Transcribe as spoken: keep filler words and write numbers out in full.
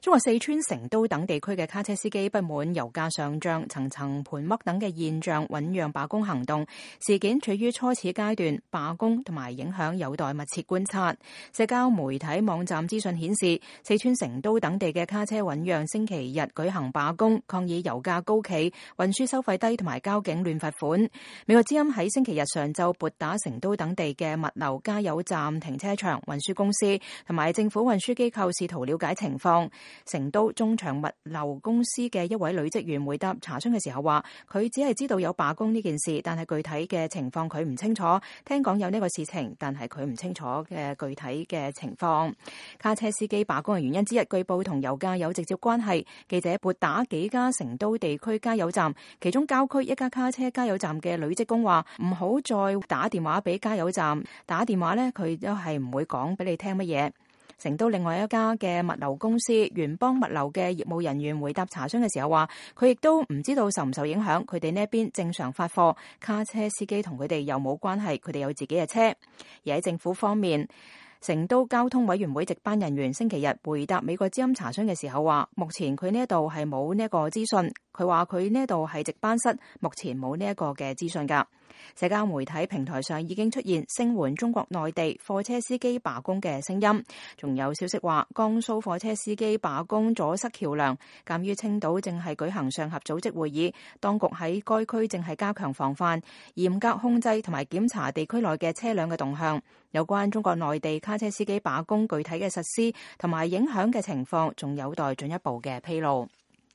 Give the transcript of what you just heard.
中國四川成都等地區嘅卡車司機不滿油價上漲、層層盤剝等嘅現象，醞釀罷工行動。事件處於初始階段，罷工同埋影響有待密切觀察。社交媒體網站資訊顯示，四川成都等地嘅卡車醞釀星期日舉行罷工，抗議油價高企、運輸收費低同埋交警亂罰款。美國之音喺星期日上晝撥打成都等地嘅物流加油站、停車場、運輸公司同埋政府運輸機構，試圖了解情況。成都中長物流公司嘅一位女職員回答查詢嘅時候話，佢只係知道有罷工呢件事，但係具體嘅情況佢唔清楚。聽講有呢個事情，但係佢唔清楚嘅具體嘅情況。卡車司機罷工嘅原因之一，據報同油價有直接關係。記者撥打幾家成都地區加油站，其中郊區一家卡車加油站嘅女職工話，唔好再打電話俾加油站，打電話呢，佢都係唔會講俾你聽乜嘢。成都另外一家嘅物流公司元邦物流嘅業務人員回答查詢嘅時候話，佢亦都唔知道受唔受影響，佢哋呢一邊正常發貨，卡車司機同佢哋又冇關係，佢哋有自己嘅車。而喺政府方面，成都交通委員會值班人員星期日回答美國之音查詢嘅時候話，目前佢呢一度係冇呢一個資訊。佢話佢呢一度係值班室，目前冇呢一個嘅資訊㗎。社交媒體平台上已經出現聲援中國內地貨車司機罷工嘅聲音，仲有消息話江蘇貨車司機罷工阻塞橋梁。鑑於青島正係舉行上合組織會議，當局喺該區正係加強防範、嚴格控制同埋檢查地區內嘅車輛嘅動向。有關中國內地卡車司機罷工具體嘅實施同埋影響嘅情況，仲有待進一步嘅披露。